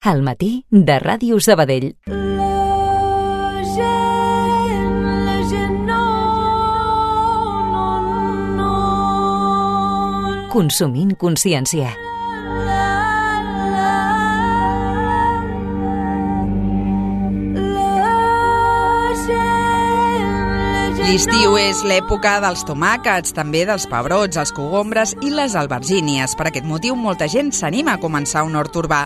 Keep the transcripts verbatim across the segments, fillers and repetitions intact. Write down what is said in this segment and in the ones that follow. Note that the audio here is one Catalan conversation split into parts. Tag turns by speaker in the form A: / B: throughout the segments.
A: Al matí de Ràdio Sabadell. Consumint consciència.
B: L'estiu és l'època dels tomàquets, també dels pebrots, els cogombres i les albergínies. Per aquest motiu, molta gent s'anima a començar un hort urbà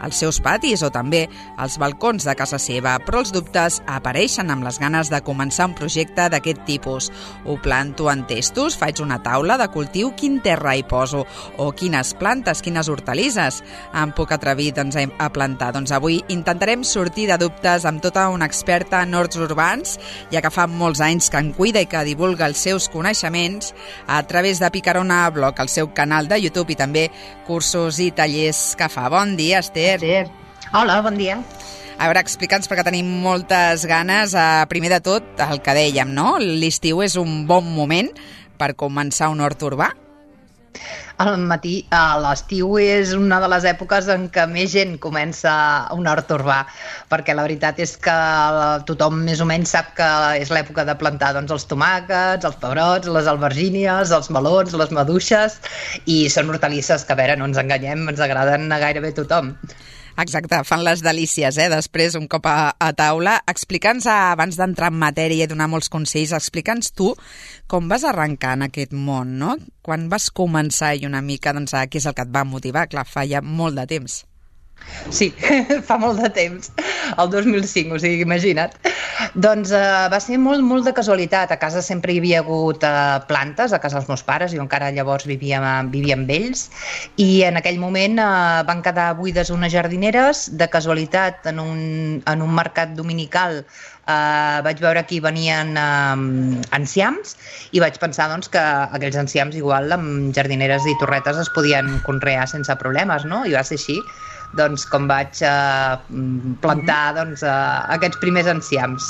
B: als seus patis o també als balcons de casa seva, però els dubtes apareixen amb les ganes de començar un projecte d'aquest tipus. Ho planto en testos, faig una taula de cultiu, quin terra hi poso? O quines plantes, quines hortalisses em puc atrevir doncs, a plantar? Doncs avui intentarem sortir de dubtes amb tota una experta en horts urbans, ja que fa molts anys que en cuida i que divulga els seus coneixements a través de Picarona Blog, el seu canal de YouTube i també cursos i tallers que fa. Bon dia, Esther.
C: Esther. Hola, bon dia.
B: A veure, explica'ns, perquè tenim moltes ganes. Primer de tot, el que dèiem, no? L'estiu és un bon moment per començar un hort urbà?
C: Al matí, a l'estiu és una de les èpoques en què més gent comença un hort urbà, perquè la veritat és que tothom més o menys sap que és l'època de plantar doncs, els tomàquets, els pebrots, les albergínies, els melons, les maduixes, i són hortalisses que, a veure, no ens enganyem, ens agraden a gairebé tothom.
B: Exacte, fan les delícies, eh? Després, un cop a, a taula. Explica'ns, abans d'entrar en matèria i donar molts consells, explica'ns tu com vas arrencar en aquest món, no? Quan vas començar i una mica, doncs, què és el que et va motivar? Clar, fa ja molt de temps.
C: Sí, fa molt de temps, el dos mil cinc, o sigui, imagina't. Doncs eh, va ser molt, molt de casualitat. A casa sempre hi havia hagut eh, plantes, a casa dels meus pares, jo encara llavors vivia, vivia amb ells, i en aquell moment eh, van quedar buides unes jardineres. De casualitat, en un, en un mercat dominical, Uh, vaig veure que hi venien uh, enciams i vaig pensar doncs, que aquells enciams igual amb jardineres i torretes es podien conrear sense problemes, no? I va ser així doncs, com vaig uh, plantar doncs, uh, aquests primers enciams.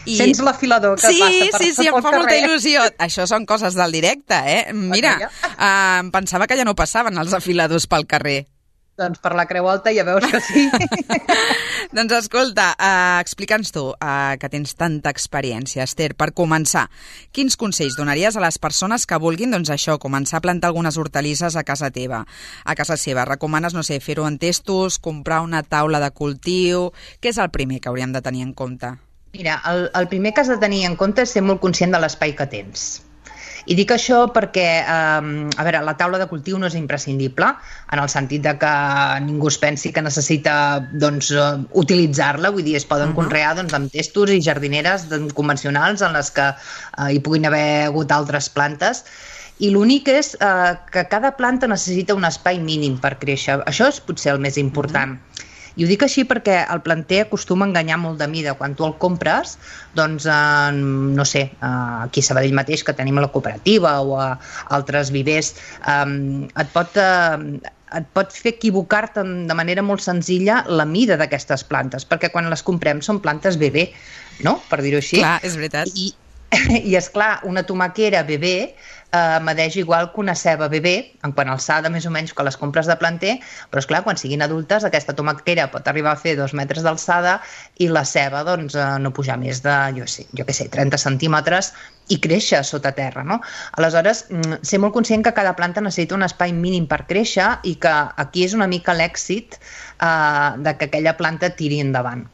C: I... Sents l'afilador que
B: sí,
C: passa per
B: Sí, sí, em fa
C: carrer.
B: Molta il·lusió. Això són coses del directe, eh? Mira, uh, em pensava que ja no passaven els afiladors pel carrer.
C: Doncs per la Creu Alta ja veus que sí.
B: Doncs escolta, uh, explica'ns tu, uh, que tens tanta experiència, Esther, per començar, quins consells donaries a les persones que vulguin, doncs això, començar a plantar algunes hortalisses a casa teva, a casa seva? Recomanes, no sé, fer-ho en testos, comprar una taula de cultiu? Què és el primer que hauríem de tenir en compte?
C: Mira, el, el primer que has de tenir en compte és ser molt conscient de l'espai que tens. I dic això perquè, eh, a veure, la taula de cultiu no és imprescindible, en el sentit de que ningú es pensi que necessita doncs, utilitzar-la, vull dir, es poden uh-huh. conrear doncs, amb testos i jardineres convencionals en les que eh, hi puguin haver hagut altres plantes. I l'únic és eh, que cada planta necessita un espai mínim per créixer. Això és potser el més important. Uh-huh. I ho dic així perquè el planter acostuma a enganyar molt de mida. Quan tu el compres, doncs, eh, no sé, eh, aquí a Sabadell mateix, que tenim la cooperativa o a altres vivers, eh, et pot... Eh, et pot fer equivocar-te de manera molt senzilla la mida d'aquestes plantes, perquè quan les comprem són plantes bebè, no? Per dir-ho així.
B: Clar, és veritat.
C: I, i esclar, una tomaquera bebè eh, medeix igual que una ceba bebè, en quant a alçada més o menys que les compres de planter, però esclar, quan siguin adultes aquesta tomaquera pot arribar a fer dos metres d'alçada i la ceba doncs, eh, no pujar més de, jo sé, jo què sé, trenta centímetres i créixer sota terra, no? Aleshores, ser molt conscient que cada planta necessita un espai mínim per créixer i que aquí és una mica l'èxit eh, de que aquella planta tiri endavant.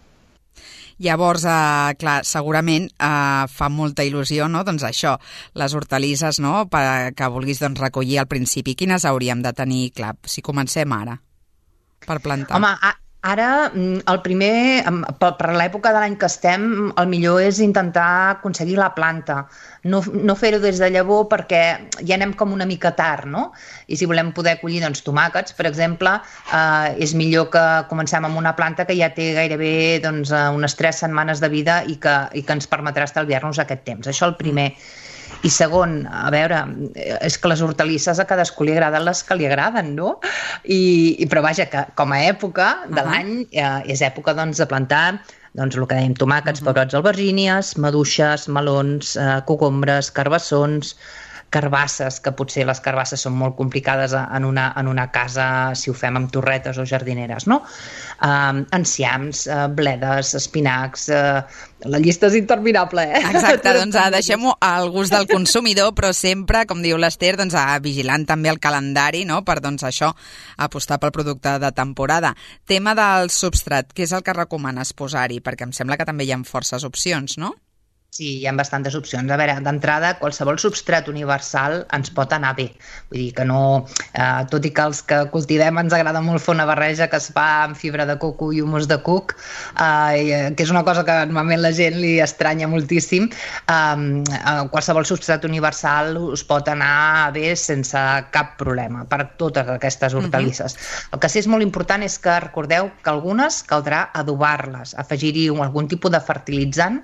B: Llavors, eh, clar, segurament eh, fa molta il·lusió, no? Doncs això, les hortalisses, no?, per, que vulguis doncs, recollir al principi. Quines hauríem de tenir, clar, si comencem ara, per plantar?
C: Home, a, ara, el primer, per, per l'època de l'any que estem, el millor és intentar aconseguir la planta. No, no fer-ho des de llavor perquè ja anem com una mica tard, no? I si volem poder collir doncs, tomàquets, per exemple, eh, és millor que comencem amb una planta que ja té gairebé doncs, unes tres setmanes de vida i que, i que ens permetrà estalviar-nos aquest temps. Això el primer. I segon, a veure, és que les hortalisses a cadascú li agraden les que li agraden, no? I, i però vaja, que com a època de uh-huh. l'any eh, és època doncs, de plantar doncs el que dèiem, tomàquets, uh-huh. pebrots, albergínies, maduixes, melons, eh, cogombres, carbassons, carbasses, que potser les carbasses són molt complicades en una, en una casa si ho fem amb torretes o jardineres, no? Um, enciams, uh, bledes, espinacs, uh, la llista és interminable, eh?
B: Exacte, doncs uh, deixem-ho al gust del consumidor, però sempre, com diu l'Ester, doncs, uh, vigilant també el calendari, no?, per doncs, això, apostar pel producte de temporada. Tema del substrat, què és el que recomanes posar-hi? Perquè em sembla que també hi ha forces opcions, no?
C: Sí, hi ha bastantes opcions. A veure, d'entrada, qualsevol substrat universal ens pot anar bé. Vull dir que no... Eh, tot i que els que cultivem ens agrada molt fer una barreja que es fa amb fibra de coco i humus de cuc, eh, que és una cosa que normalment la gent li estranya moltíssim, eh, qualsevol substrat universal us pot anar bé sense cap problema per totes aquestes hortalisses. Uh-huh. El que sí és molt important és que recordeu que algunes caldrà adobar-les, afegir-hi algun tipus de fertilitzant,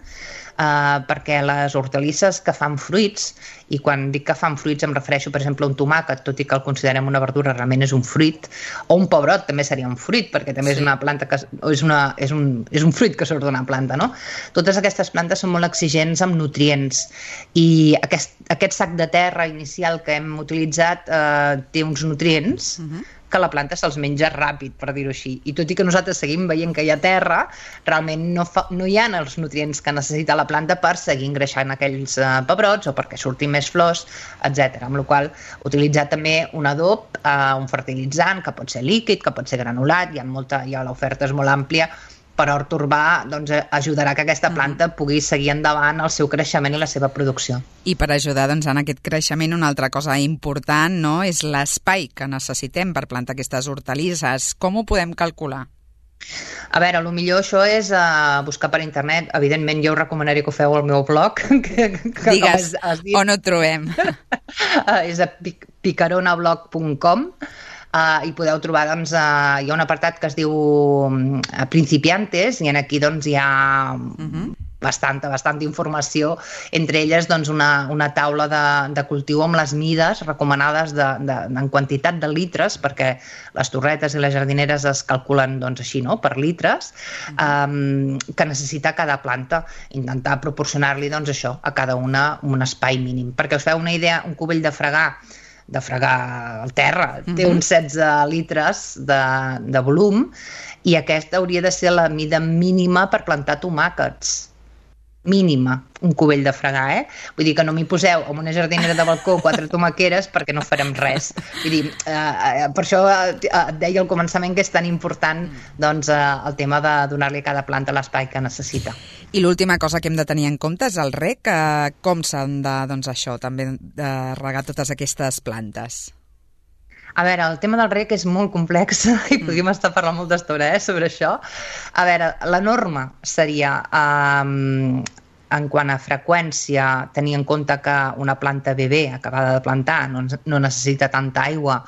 C: Uh, perquè les hortalisses que fan fruits, i quan dic que fan fruits em refereixo per exemple a un tomàquet, tot i que el considerem una verdura, realment és un fruit, o un pebrot també seria un fruit, perquè també sí. és una planta que és, una, és, un, és un fruit que surt d'una planta, no? Totes aquestes plantes són molt exigents amb nutrients, i aquest, aquest sac de terra inicial que hem utilitzat uh, té uns nutrients uh-huh. que la planta se'ls menja ràpid, per dir-ho així. I tot i que nosaltres seguim veient que hi ha terra, realment no, fa, no hi ha els nutrients que necessita la planta per seguir engreixant aquells uh, pebrots o perquè surtin més flors, etcètera. Amb la qual cosa, utilitzar també un adob, uh, un fertilitzant, que pot ser líquid, que pot ser granulat, hi ha molta, hi ha l'oferta és molt àmplia, per hort urbà, doncs, ajudarà que aquesta planta pugui seguir endavant el seu creixement i la seva producció.
B: I per ajudar doncs, en aquest creixement, una altra cosa important, no?, és l'espai que necessitem per plantar aquestes hortalisses. Com ho podem calcular?
C: A veure, el millor això és uh, buscar per internet. Evidentment, jo us recomanaria que ho feu al meu blog. Que, que
B: Digues, has, has dit... on ho trobem?
C: uh, és a picaronablog punt com. Uh, i podeu trobar, doncs, uh, hi ha un apartat que es diu uh, Principiantes, i en aquí doncs, hi ha uh-huh. bastanta, bastanta informació, entre elles doncs, una, una taula de, de cultiu amb les mides recomanades de, de, en quantitat de litres, perquè les torretes i les jardineres es calculen doncs, així, no?, per litres, um, que necessita cada planta. Intentar proporcionar-li doncs, això a cada una un espai mínim. Perquè us feu una idea, un cubell de fregar de fregar al terra, uh-huh. té uns setze litres de, de volum, i aquesta hauria de ser la mida mínima per plantar tomàquets. Mínima, un cubell de fregar, eh? Vull dir que no m'hi poseu amb una jardinera de balcó quatre tomaqueres perquè no farem res. Vull dir, eh, per això et deia al començament que és tan important doncs, eh, el tema de donar-li a cada planta l'espai que necessita.
B: I l'última cosa que hem de tenir en compte és el reg, eh, com s'han de, doncs això, també de regar totes aquestes plantes.
C: A veure, el tema del reg és molt complex i podríem estar parlant molta estona eh, sobre això. A veure, la norma seria, um, en quant a freqüència, tenir en compte que una planta bebè acabada de plantar no, no necessita tanta aigua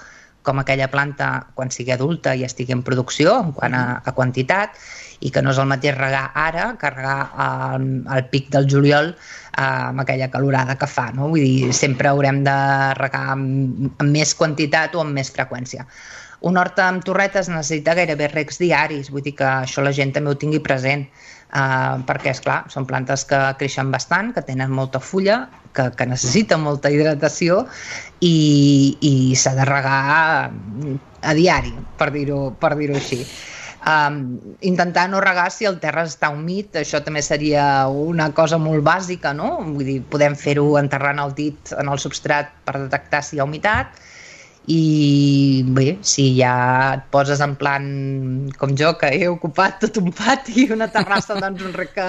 C: com aquella planta quan sigui adulta i estigui en producció, en quant a, a quantitat, i que no és el mateix regar ara que regar al, al pic del juliol eh, amb aquella calorada que fa, no? Vull dir, sempre haurem de regar amb, amb més quantitat o amb més freqüència. Un hort amb torretes necessita gairebé regs diaris, vull dir que això la gent també ho tingui present, eh, perquè, esclar, són plantes que creixen bastant, que tenen molta fulla, que, que necessiten molta hidratació i, i s'ha de regar a diari, per dir-ho per dir-ho així. Um, intentar no regar si el terra està humit, això també seria una cosa molt bàsica, no? Vull dir, podem fer-ho enterrant el dit en el substrat per detectar si hi ha humitat, i bé, si ja et poses en plan com jo, que he ocupat tot un pati i una terrassa, doncs un rec,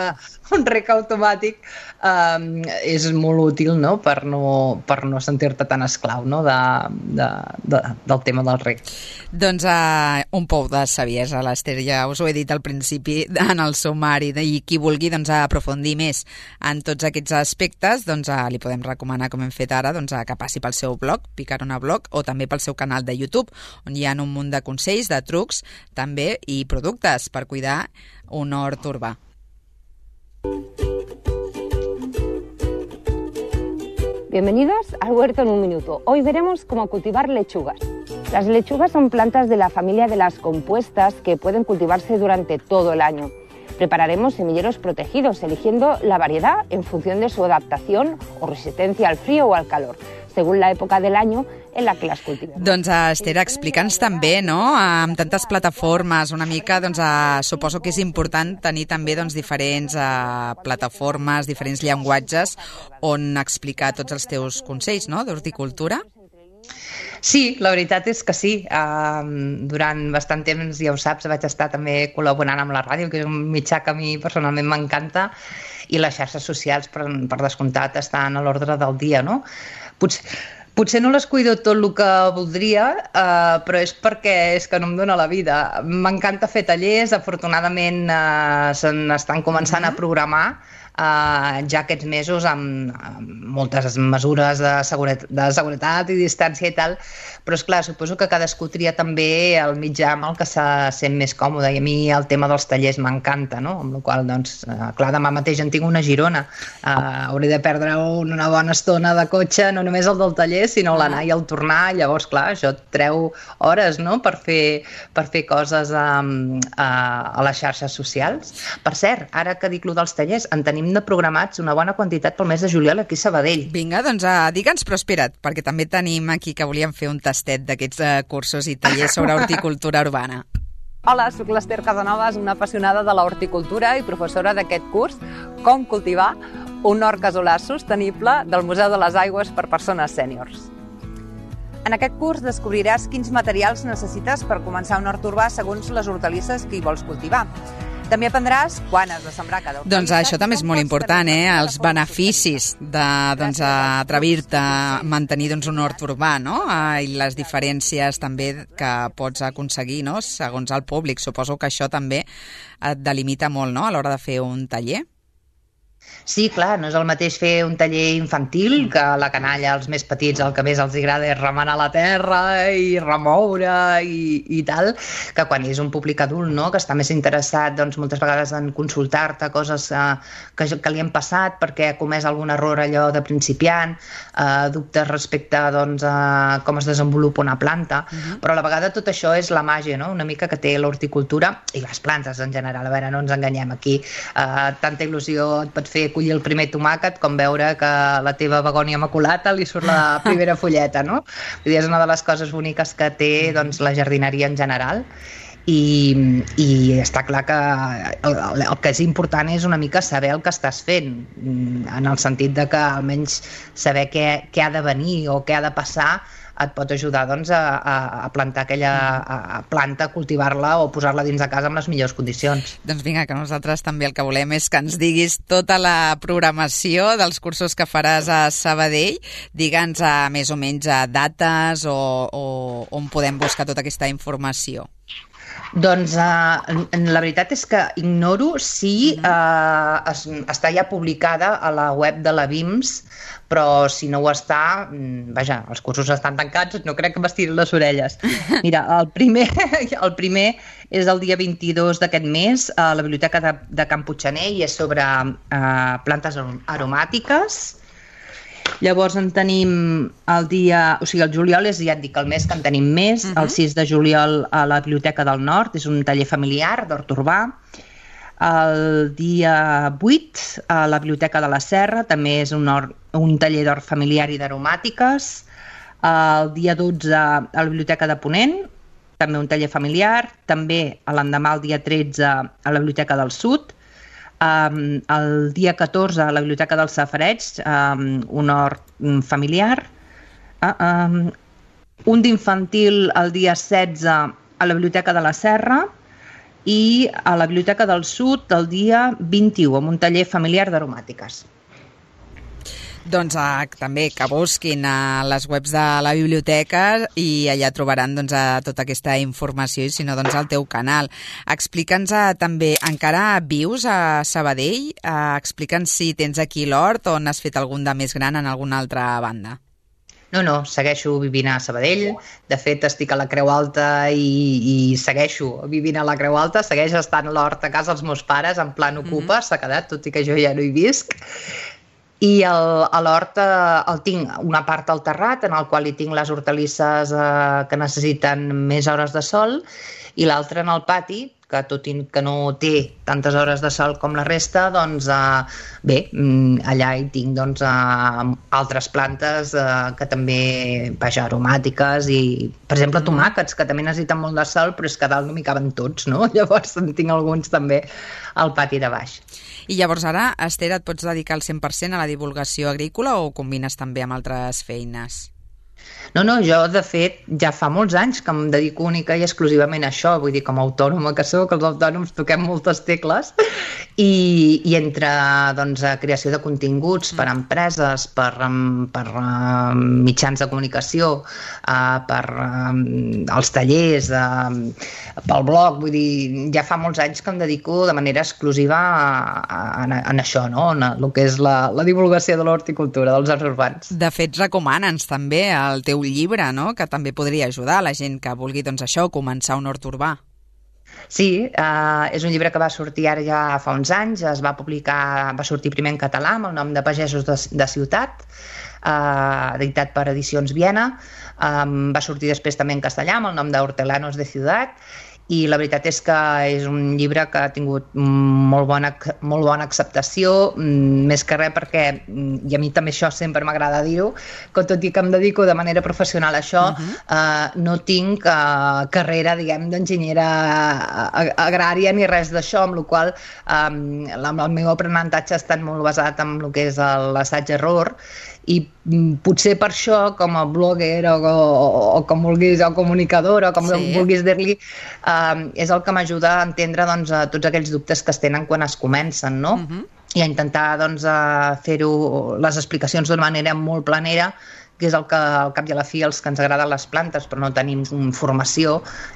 C: un rec automàtic um, és molt útil, no?, per no, per no sentir-te tan esclau, no?, de, de, de, del tema del rec.
B: Doncs uh, un pou de saviesa, l'Ester, ja us ho he dit al principi en el sumari, i qui vulgui doncs, aprofundir més en tots aquests aspectes, doncs uh, li podem recomanar, com hem fet ara, doncs, uh, que passi pel seu blog, Picarona Blog, o també pel seu canal de YouTube, on hi ha un munt de consells, de trucs, també, i productes per cuidar un hort urbà.
D: Bienvenidos al Huerto en un Minuto. Hoy veremos cómo cultivar lechugas. Las lechugas son plantas de la familia de las compuestas que pueden cultivarse durante todo el año. Prepararemos semilleros protegidos, eligiendo la variedad en función de su adaptación o resistencia al frío o al calor, según la època del año en la que les cultivem.
B: Doncs, Esther, explica'ns també, no?, amb tantes plataformes, una mica, doncs, uh, suposo que és important tenir també, doncs, diferents uh, plataformes, diferents llenguatges on explicar tots els teus consells, no?, d'horticultura.
C: Sí, la veritat és que sí. Uh, durant bastant temps, ja ho saps, vaig estar també col·laborant amb la ràdio, que és un mitjà que a mi personalment m'encanta, i les xarxes socials, per, per descomptat, estan a l'ordre del dia, no? Potser, potser no les cuido tot el que voldria, uh, però és perquè és que no em dóna la vida. M'encanta fer tallers, afortunadament uh, s'estan començant mm-hmm. a programar, Uh, ja aquests mesos amb, amb moltes mesures de, seguretat, de seguretat i distància i tal, però és clar, suposo que cadascú tria també el mitjà amb el que se sent més còmode, i a mi el tema dels tallers m'encanta, no? Amb la qual cosa, doncs, uh, clar, demà mateix en tinc una a Girona, uh, hauré de perdre una bona estona de cotxe, no només el del taller, sinó l'anar i el tornar, llavors, clar, això et treu hores, no?, per fer, per fer coses um, a, a les xarxes socials. Per cert, ara que dic lo dels tallers, en tenim de programats una bona quantitat pel mes de juliol aquí a Sabadell.
B: Vinga, doncs uh, digue'ns, però espera't, perquè també tenim aquí que volíem fer un tastet d'aquests uh, cursos i tallers sobre horticultura urbana.
E: Hola, soc l'Esther Casanovas, una apassionada de la horticultura i professora d'aquest curs Com cultivar un hort casolà sostenible del Museu de les Aigües per persones sèniors. En aquest curs descobriràs quins materials necessites per començar un hort urbà segons les hortalisses que hi vols cultivar. També aprendràs quan has de sembrar cada hortalissa.
B: Doncs això també és molt important, eh? Els beneficis de, doncs, atrevir-te a mantenir, doncs, un hort urbà, no? I les diferències també que pots aconseguir, no?, segons el públic. Suposo que això també et delimita molt, no?, a l'hora de fer un taller.
C: Sí, clar, no és el mateix fer un taller infantil, que a la canalla, als més petits, el que més els agrada és remenar la terra i remoure i, i tal, que quan és un públic adult, no?, que està més interessat, doncs, moltes vegades en consultar-te coses eh, que, que li han passat perquè ha comès algun error allò de principiant, eh, dubtes respecte, doncs, a com es desenvolupa una planta, uh-huh. però a la vegada tot això és la màgia, no?, una mica que té l'horticultura i les plantes en general. A veure, no ens enganyem aquí, eh, tanta il·lusió et pot fer collir el primer tomàquet com veure que la teva begònia maculata li surt la primera fulleta, no? Vull dir, és una de les coses boniques que té, doncs, la jardineria en general, i, i està clar que el, el que és important és una mica saber el que estàs fent, en el sentit de que almenys saber què, què ha de venir o què ha de passar et pot ajudar, doncs, a, a plantar aquella a planta, cultivar-la o posar-la dins de casa amb les millors condicions.
B: Doncs vinga, que nosaltres també el que volem és que ens diguis tota la programació dels cursos que faràs a Sabadell. Digue'ns a, més o menys a dates o, o on podem buscar tota aquesta informació.
C: Doncs uh, la veritat és que ignoro si uh, es, està ja publicada a la web de la B I M S, però si no ho està, vaja, els cursos estan tancats, no crec que m'estirin les orelles. Mira, el primer, el primer és el dia vint-i-dos d'aquest mes a la Biblioteca de, de Can Puiggener i és sobre uh, plantes aromàtiques. Llavors en tenim el dia, o sigui, el juliol és, ja et dic, el mes que en tenim més, uh-huh. el sis de juliol a la Biblioteca del Nord, és un taller familiar d'hort urbà. El dia vuit a la Biblioteca de la Serra, també és un, or, un taller d'hort familiar i d'aromàtiques. El dia dotze a la Biblioteca de Ponent, també un taller familiar. També l'endemà, el dia tretze, a la Biblioteca del Sud. Um, el dia catorze a la Biblioteca dels Safareigs, um, un hort familiar. Uh, um, un d'infantil el dia setze a la Biblioteca de la Serra i a la Biblioteca del Sud el dia vint-i-u amb un taller familiar d'aromàtiques.
B: Doncs eh, també que busquin a les webs de la biblioteca i allà trobaran, doncs, a tota aquesta informació i si no, doncs, al teu canal. Explica'ns eh, també, encara vius a Sabadell? Eh, explica'ns si tens aquí l'hort o n'has fet algun de més gran en alguna altra banda.
C: No, no, segueixo vivint a Sabadell. De fet, estic a la Creu Alta i, i segueixo vivint a la Creu Alta. Segueix estant l'hort a casa dels meus pares, en plan ocupa, mm-hmm. s'ha quedat, tot i que jo ja no hi visc. I el, a l'hort eh, el tinc una part al terrat, en el qual hi tinc les hortalisses eh, que necessiten més hores de sol, i l'altra en el pati, que tot i que no té tantes hores de sol com la resta, doncs eh, bé, allà hi tinc doncs, eh, altres plantes eh, que també, vaja, aromàtiques i, per exemple, tomàquets, que també necessiten molt de sol, però és que a dalt no m'hi caben tots, no? Llavors en tinc alguns també al pati de baix.
B: I llavors ara, Esther, et pots dedicar al cent per cent a la divulgació agrícola o combines també amb altres feines?
C: No, no, jo de fet ja fa molts anys que em dedico única i exclusivament a això, vull dir, com a autònoma que soc, els autònoms toquem moltes tecles i, i entre doncs, creació de continguts per a empreses, per, per uh, mitjans de comunicació, uh, per uh, els tallers, uh, pel blog, vull dir, ja fa molts anys que em dedico de manera exclusiva a, a, a, a això, no? En el que és la, la divulgació de l'horticultura, dels arts urbans.
B: De fet, recomana'ns també el teu llibre, no? Que també podria ajudar a la gent que vulgui, doncs això, començar un hort urbà.
C: Sí, eh, és un llibre que va sortir ara ja fa uns anys, es va publicar, va sortir primer en català amb el nom de Pagesos de, de Ciutat, eh, editat per Edicions Viena, eh, va sortir després també en castellà amb el nom de Hortelanos de Ciutat, i la veritat és que és un llibre que ha tingut molt bona, molt bona acceptació, més que res perquè, i a mi també això sempre m'agrada dir-ho, que tot i que em dedico de manera professional a això, uh-huh. eh, no tinc eh, carrera, diguem, d'enginyera agrària ni res d'això, amb la qual eh, el meu aprenentatge ha estat molt basat en el que és l'assaig-error, i potser per això, com a blogger o, o, o com vulguis, o comunicadora, o com sí. vulguis dir-li, eh, és el que m'ajuda a entendre doncs, a tots aquells dubtes que es tenen quan es comencen, no? Uh-huh. I a intentar doncs, a fer-ho, les explicacions d'una manera molt planera, que és el que al cap i a la fi els que ens agraden les plantes però no tenim formació,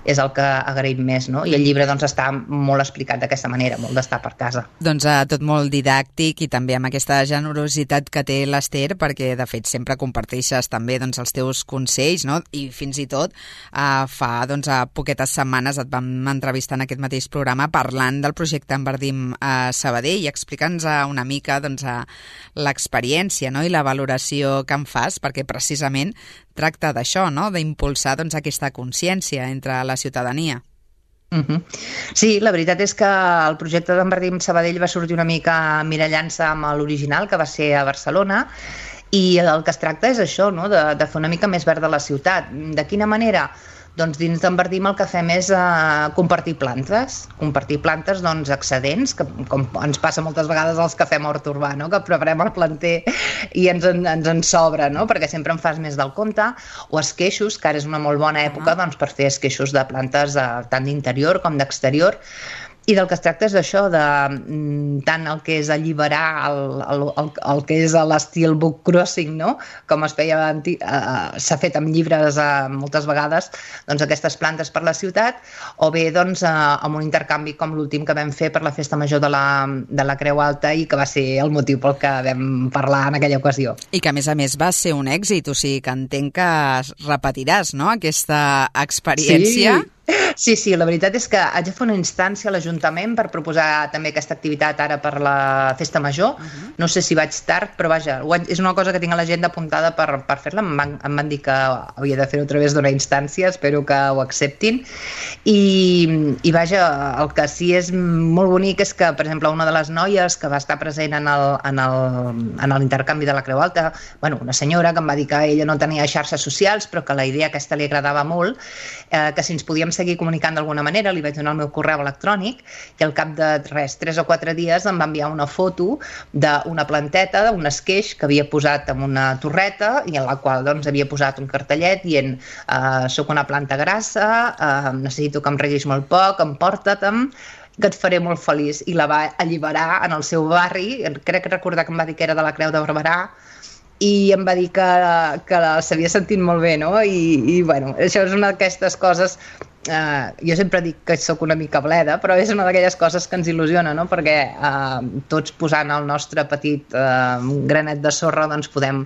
C: és el que agraïm més, no? I el llibre doncs, està molt explicat d'aquesta manera, molt d'estar per casa.
B: Doncs eh, tot molt didàctic i també amb aquesta generositat que té l'Esther, perquè de fet sempre comparteixes també doncs, els teus consells, no? I fins i tot eh, fa doncs, a poquetes setmanes et vam entrevistar en aquest mateix programa parlant del projecte Enverdim a Sabadell i explica'ns una mica doncs, l'experiència, no? I la valoració que en fas, perquè precisament tracta d'això, no? D'impulsar doncs, aquesta consciència entre la ciutadania.
C: Uh-huh. Sí, la veritat és que el projecte d'Enverdim Sabadell va sortir una mica mirallant-se amb l'original, que va ser a Barcelona, i el que es tracta és això, no? de, de fer una mica més verda la ciutat. De quina manera? Doncs dins d'Enverdim el que fem és uh, compartir plantes, compartir plantes doncs, excedents, que com ens passa moltes vegades als que fem hort urbà, no? Que preparem el planter i ens en, ens en sobra, no? Perquè sempre en fas més del compte, o esqueixos, que ara és una molt bona època doncs, per fer esqueixos de plantes uh, tant d'interior com d'exterior. I del que es tracta és d'això, de tant el que és alliberar el, el, el, el que és l'estil book crossing, no? Com es feia, uh, s'ha fet amb llibres uh, moltes vegades, doncs aquestes plantes per la ciutat, o bé doncs, uh, amb un intercanvi com l'últim que vam fer per la Festa Major de la, de la Creu Alta i que va ser el motiu pel que vam parlar en aquella ocasió.
B: I que a més a més va ser un èxit, o sigui que entenc que repetiràs, no?, aquesta experiència.
C: Sí. Sí, sí, la veritat és que haig de fer una instància a l'Ajuntament per proposar també aquesta activitat ara per la Festa Major. Uh-huh. No sé si vaig tard, però vaja, és una cosa que tinc a l'agenda apuntada per, per fer-la. Em van, em van dir que havia de fer-ho a través d'una instància, espero que ho acceptin. I, I vaja, el que sí és molt bonic és que, per exemple, una de les noies que va estar present en el, en el, en l'intercanvi de la Creu Alta, bueno, una senyora que em va dir que ella no tenia xarxes socials, però que la idea aquesta li agradava molt, eh, que si ens podíem seguir comunicant d'alguna manera, li vaig donar el meu correu electrònic i al cap de res, tres o quatre dies em va enviar una foto d'una planteta, d'un esqueix que havia posat en una torreta i en la qual doncs, havia posat un cartellet dient eh, soc una planta grassa, eh, necessito que em reguis molt poc, emporta-te'm, que et faré molt feliç. I la va alliberar en el seu barri, crec recordar que em va dir que era de la Creu de Barberà, i em va dir que, que s'havia sentit molt bé, no? I, i bueno, això és una d'aquestes coses, eh, jo sempre dic que sóc una mica bleda, però és una d'aquelles coses que ens il·lusiona, no? Perquè eh, tots posant el nostre petit eh, granet de sorra doncs podem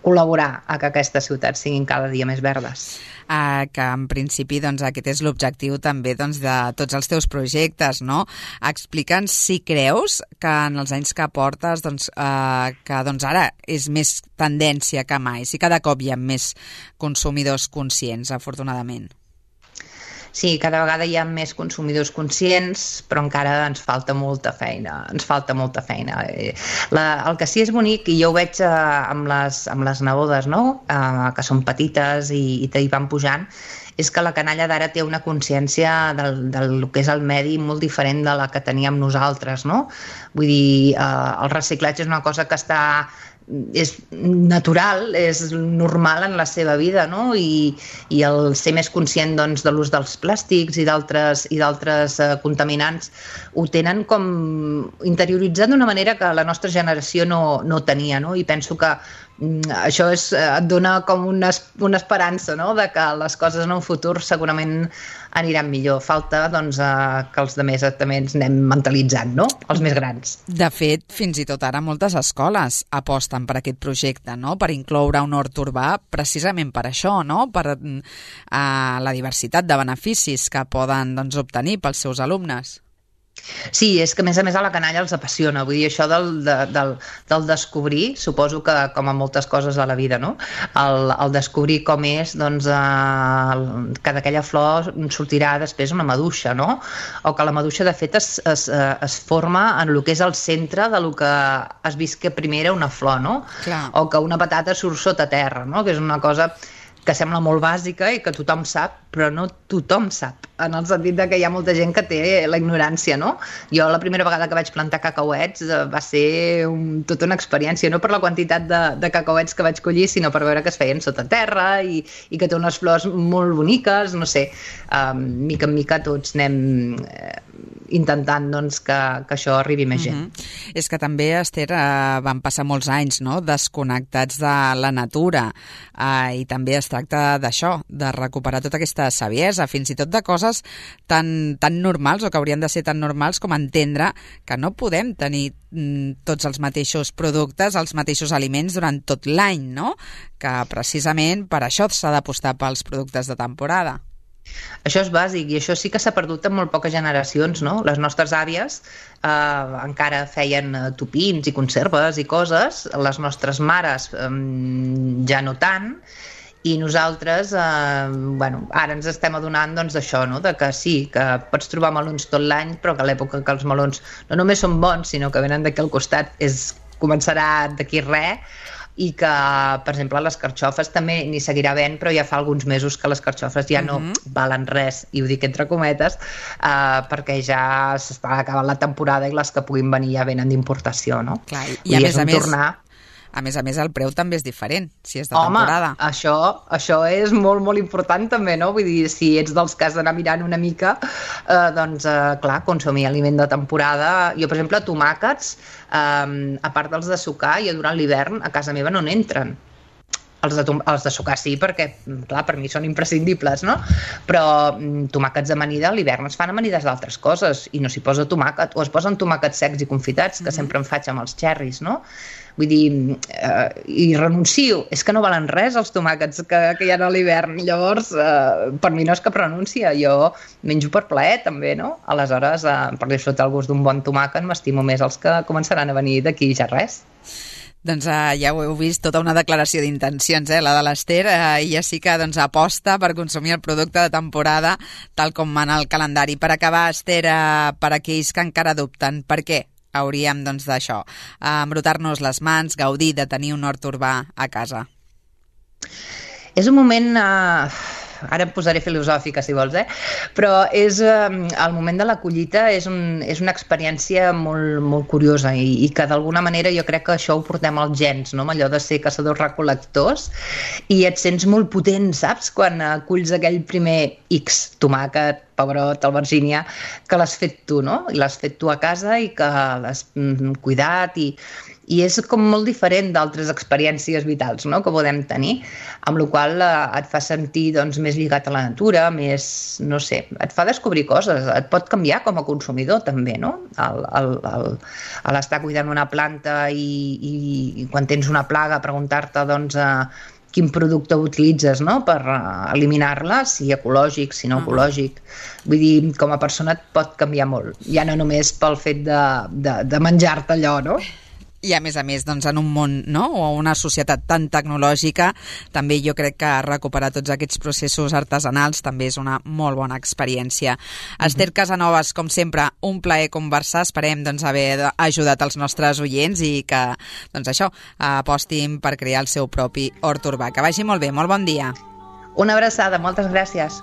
C: col·laborar a que aquestes ciutats siguin cada dia més verdes.
B: Uh, que en principi doncs, aquest és l'objectiu també doncs, de tots els teus projectes, no? Explica'ns si creus que en els anys que portes doncs, uh, que doncs, ara és més tendència que mai, si cada cop hi ha més consumidors conscients, afortunadament.
C: Sí, cada vegada hi ha més consumidors conscients, però encara ens falta molta feina, ens falta molta feina. La, el que sí és bonic, i jo ho veig eh, amb, les, amb les nebodes, no? eh, que són petites i, i hi van pujant, és que la canalla d'ara té una consciència del, del que és el medi molt diferent de la que teníem nosaltres, no? Vull dir, eh, el reciclatge és una cosa que està és natural, és normal en la seva vida, no? I, i el ser més conscient doncs, de l'ús dels plàstics i d'altres i d'altres eh, contaminants ho tenen com interioritzat d'una manera que la nostra generació no, no tenia, no? I penso que mm, això és, et dona com una, una esperança, no? De que les coses en un futur segurament aniran millor. Falta doncs, eh, que els altres també ens anem mentalitzant, no? Els més grans.
B: De fet, fins i tot ara moltes escoles aposten per aquest projecte, no? Per incloure un hort urbà precisament per això, no? Per eh, la diversitat de beneficis que poden doncs, obtenir pels seus alumnes.
C: Sí, és que a més a més a la canalla els apassiona, vull dir, això del, de, del, del descobrir, suposo que com a moltes coses a la vida, no? El, el descobrir com és, doncs, eh, que d'aquella flor sortirà després una maduixa, no? O que la maduixa de fet es, es, es forma en el que és el centre de lo que has vist que primer era una flor, no?
B: Clar.
C: O que una patata surt sota terra, no? Que és una cosa que sembla molt bàsica i que tothom sap, però no tothom sap, en el sentit de que hi ha molta gent que té la ignorància, no? Jo la primera vegada que vaig plantar cacauets va ser un, tota una experiència, no per la quantitat de, de cacauets que vaig collir, sinó per veure que es feien sota terra i, i que té unes flors molt boniques, no sé, um, mica en mica tots anem eh, intentant doncs, que, que això arribi més gent.
B: Mm-hmm. És que també, Esther, eh, van passar molts anys, no?, desconnectats de la natura eh, i també es tracta d'això, de recuperar tota aquesta saviesa, fins i tot de coses tan, tan normals o que haurien de ser tan normals com entendre que no podem tenir mm, tots els mateixos productes, els mateixos aliments durant tot l'any, no? Que precisament per això s'ha d'apostar pels productes de temporada.
C: Això és bàsic i això sí que s'ha perdut en molt poques generacions, no? Les nostres àvies eh, encara feien tupins i conserves i coses, les nostres mares eh, ja no tant, i nosaltres, eh, bueno, ara ens estem adonant doncs, d'això, no? De que sí, que pots trobar melons tot l'any, però que a l'època que els melons no només són bons, sinó que venen d'aquí al costat, és, començarà d'aquí res, i que, per exemple, les carxofes també n'hi seguirà havent, però ja fa alguns mesos que les carxofes ja no uh-huh. valen res, i ho dic entre cometes, eh, perquè ja s'està acabant la temporada i les que puguin venir ja venen d'importació, no?
B: Clar, i a més a més... Tornar... A més a més, el preu també és diferent, si és de
C: Home,
B: temporada.
C: Home, això, això és molt, molt important també, no? Vull dir, si ets dels que has d'anar mirant una mica, eh, doncs, eh, clar, consumir aliment de temporada. Jo, per exemple, tomàquets, eh, a part dels de sucar, jo durant l'hivern a casa meva no n'entren. Els de, els de sucar sí, perquè, clar, per mi són imprescindibles, no? Però tomàquets d'amanida a l'hivern es fan amanides d'altres coses i no s'hi posa tomàquet, o es posen tomàquets secs i confitats, que mm-hmm. sempre en faig amb els xerris, no? Vull dir, eh, i renuncio, és que no valen res els tomàquets que, que hi ha a l'hivern, llavors eh, per mi no és cap renúncia, jo menjo per plaer també, no? Aleshores, eh, per disfrutar el gust d'un bon tomàquet m'estimo més els que començaran a venir d'aquí ja res.
B: Doncs uh, ja ho heu vist, tota una declaració d'intencions, eh, la de l'Esther, uh, i ja sí que doncs, aposta per consumir el producte de temporada tal com mana el calendari. Per acabar, Esther, uh, per aquells que encara dubten, per què hauríem doncs, d'això, uh, embrutar-nos les mans, gaudir de tenir un hort urbà a casa?
C: És un moment... Uh... Ara em posaré filosòfica, si vols, eh? Però és, eh, el moment de la collita és, un, és una experiència molt, molt curiosa i, i que d'alguna manera jo crec que això ho portem als gens, no? Allò de ser caçadors-recol·lectors, i et sents molt potent, saps? Quan eh, culls aquell primer X, tomàquet, pebrot, albergínia, que l'has fet tu, no? I l'has fet tu a casa i que l'has mm, cuidat i... I és com molt diferent d'altres experiències vitals, no?, que podem tenir, amb la qual eh, et fa sentir doncs, més lligat a la natura, més, no sé, et fa descobrir coses, et pot canviar com a consumidor també, no? El, el, el, el estar cuidant una planta i, i, i quan tens una plaga preguntar-te doncs, eh, quin producte utilitzes, no?, per eliminar-la, si ecològic, si no ecològic. Vull dir, com a persona et pot canviar molt, ja no només pel fet de, de, de menjar-te allò, no?
B: I a més a més, doncs, en un món, no?, o una societat tan tecnològica, també jo crec que recuperar tots aquests processos artesanals també és una molt bona experiència. Mm-hmm. Esther Casanovas, com sempre, un plaer conversar. Esperem, doncs, haver ajudat els nostres oients i que, doncs, això, apostin per crear el seu propi hort urbà. Que vagi molt bé, molt bon dia.
C: Una abraçada, moltes gràcies.